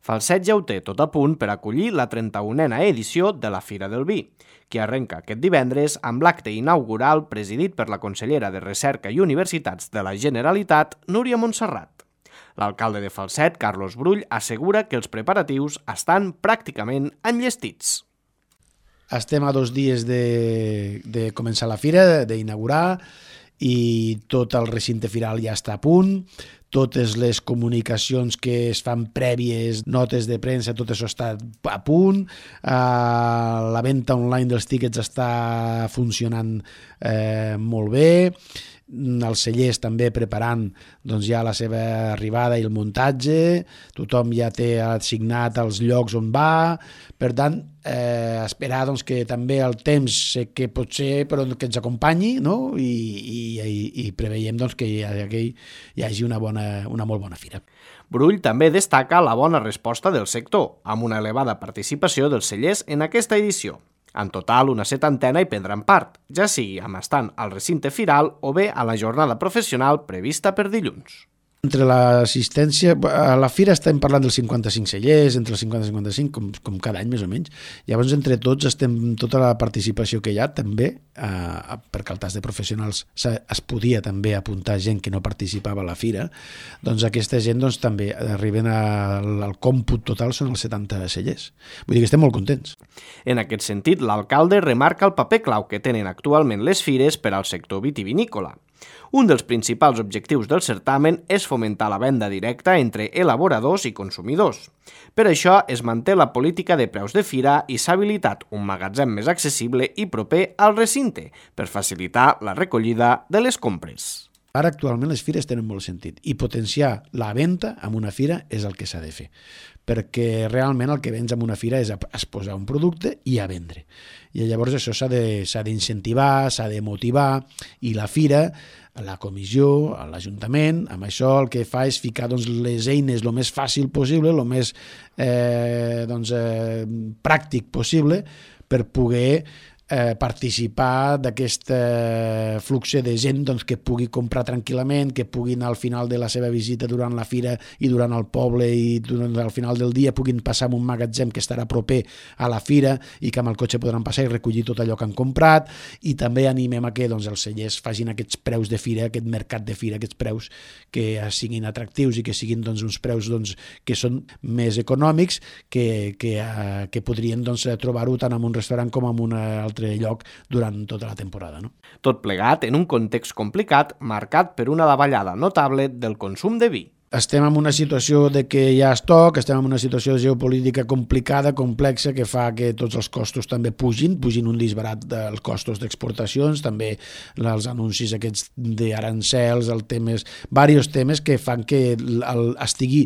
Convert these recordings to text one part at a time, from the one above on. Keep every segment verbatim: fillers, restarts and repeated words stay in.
Falset ja ho té tot a punt per acollir la trenta-unena edició de la Fira del Vi, que arrenca aquest divendres amb l'acte inaugural presidit per la consellera de Recerca i Universitats de la Generalitat, Núria Montserrat. L'alcalde de Falset, Carlos Brull, assegura que els preparatius estan pràcticament enllestits. Estem a dos dies de, de començar la fira, d'inaugurar, i tot el recinte firal ja està a punt. Totes les comunicacions que es fan prèvies, notes de premsa, tot això està a punt. Uh, la venda online dels tíquets està funcionant eh, molt bé. Els cellers també preparant doncs, ja la seva arribada i el muntatge. Tothom ja té assignat els llocs on va. Per tant, eh, esperar doncs, que també el temps sé que pot ser, però que ens acompanyi, no? I, i, i, i preveiem doncs, que hi hagi, hi hagi una, bona, una molt bona fira. Brull també destaca la bona resposta del sector, amb una elevada participació dels cellers en aquesta edició. En total, una setantena hi prendran part, ja sigui amb estant al recinte firal o bé a la jornada professional prevista per dilluns. Entre l'assistència, a la fira estem parlant dels cinquanta-cinc cellers, entre els cinquanta i cinquanta-cinc, com, com cada any més o menys. Llavors, entre tots, estem tota la participació que hi ha, també, eh, perquè al tas de professionals es podia també apuntar gent que no participava a la fira, doncs aquesta gent doncs, també arriben al, al còmput total, són els setanta cellers. Vull dir que estem molt contents. En aquest sentit, l'alcalde remarca el paper clau que tenen actualment les fires per al sector vitivinícola. Un dels principals objectius del certamen és fomentar la venda directa entre elaboradors i consumidors. Per això es manté la política de preus de fira i s'ha habilitat un magatzem més accessible i proper al recinte per facilitar la recollida de les compres. Ara actualment les fires tenen molt sentit i potenciar la venda en una fira és el que s'ha de fer, perquè realment el que vens en una fira és exposar un producte i a vendre. I llavors això s'ha de, s'ha d'incentivar, s'ha de motivar, i la fira, la comissió, l'Ajuntament, amb això el que fa és ficar doncs, les eines el més fàcil possible, el més eh, doncs, eh, pràctic possible per poder Eh, participar d'aquest eh, flux de gent doncs, que pugui comprar tranquil·lament, que puguin al final de la seva visita durant la fira i durant el poble i durant, al final del dia puguin passar en un magatzem que estarà proper a la fira i que amb el cotxe podran passar i recollir tot allò que han comprat. I també animem a que doncs, els cellers facin aquests preus de fira, aquest mercat de fira, aquests preus que siguin atractius i que siguin doncs, uns preus doncs, que són més econòmics que, que, eh, que podrien doncs, trobar-ho tant en un restaurant com en una altra lloc durant tota la temporada. No? Tot plegat en un context complicat marcat per una davallada notable del consum de vi. Estem en una situació de que hi ha estoc, estem en una situació geopolítica complicada, complexa, que fa que tots els costos també pugin, pugin un disbarat dels costos d'exportacions, també els anuncis aquests d'arancels, el temes, diversos temes que fan que el, estigui,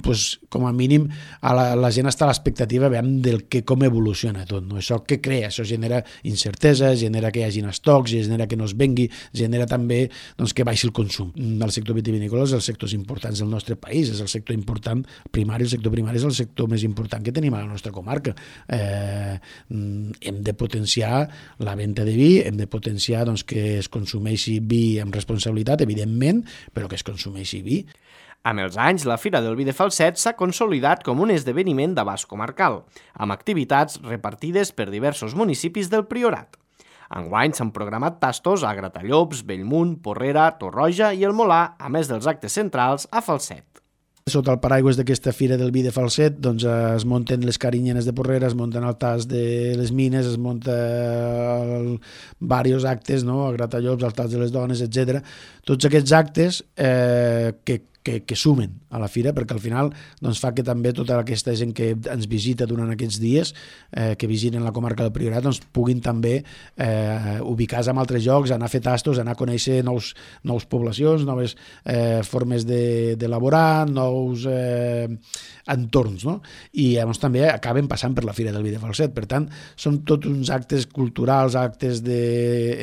pues, com a mínim, a la, la gent està a l'expectativa del que com evoluciona tot. No? Això que crea, això genera incertesa, genera que hi hagin estocs, genera que no es vengui, genera també doncs, que baixi el consum. El sector vitivinícola és el sector important importants del nostre país, és el sector important primari, el sector primari és el sector més important que tenim a la nostra comarca. Eh, hem de potenciar la venda de vi, hem de potenciar doncs, que es consumeixi vi amb responsabilitat, evidentment, però que es consumeixi vi. Amb els anys, la Fira del Vi de Falset s'ha consolidat com un esdeveniment d'abast comarcal, amb activitats repartides per diversos municipis del Priorat. Enguany s'han programat tastos a Gratallops, Bellmunt, Porrera, Torroja i el Molar, a més dels actes centrals a Falset. Sota el paraigües d'aquesta Fira del Vi de Falset doncs, es munten les carinyenes de Porrera, es munten el tas de les mines, es munten diversos actes, no? A Gratallops, el tas de les dones, etcètera. Tots aquests actes eh, que Que, que sumen a la fira, perquè al final doncs, fa que també tota aquesta gent que ens visita durant aquests dies, eh, que visiten la comarca del Priorat, doncs, puguin també eh, ubicar-se en altres llocs, anar a fer tastos, anar a conèixer nous, nous poblacions, noves eh, formes d'elaborar, de, nous eh, entorns, no? I llavors també acaben passant per la Fira del Vi de Falset. Per tant, són tots uns actes culturals, actes de,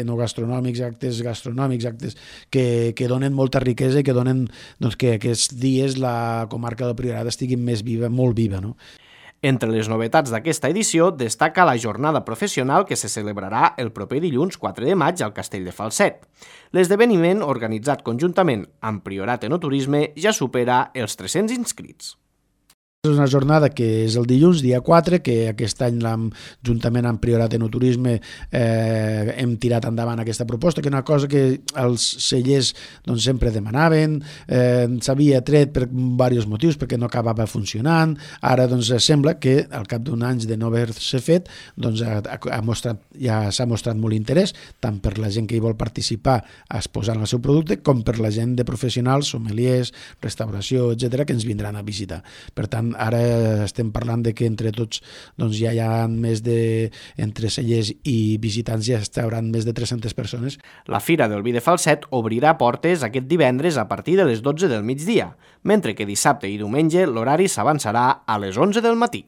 enogastronòmics, actes gastronòmics, actes que, que donen molta riquesa i que donen doncs, que aquests dies la comarca del Priorat estigui més viva, molt viva, no? Entre les novetats d'aquesta edició destaca la jornada professional que se celebrarà el proper dilluns quatre de maig al Castell de Falset. L'esdeveniment, organitzat conjuntament amb Priorat Enoturisme, ja supera els tres-cents inscrits. És una jornada que és el dilluns, dia quatre, que aquest any juntament amb Priorat Enoturisme eh, hem tirat endavant aquesta proposta, que és una cosa que els cellers doncs, sempre demanaven, eh, s'havia tret per diversos motius, perquè no acabava funcionant, ara doncs, sembla que al cap d'un any de no haver-se fet doncs, ha, ha mostrat, ja s'ha mostrat molt interès, tant per la gent que hi vol participar exposant el seu producte, com per la gent de professionals, sommeliers, restauració, etcètera, que ens vindran a visitar. Per tant, ara estem parlant de que entre tots doncs ja hi ha més de, entre cellers i visitants ja estaran més de tres-centes persones. La Fira del Vi de Falset obrirà portes aquest divendres a partir de les dotze del migdia, mentre que dissabte i diumenge l'horari s'avançarà a les onze del matí.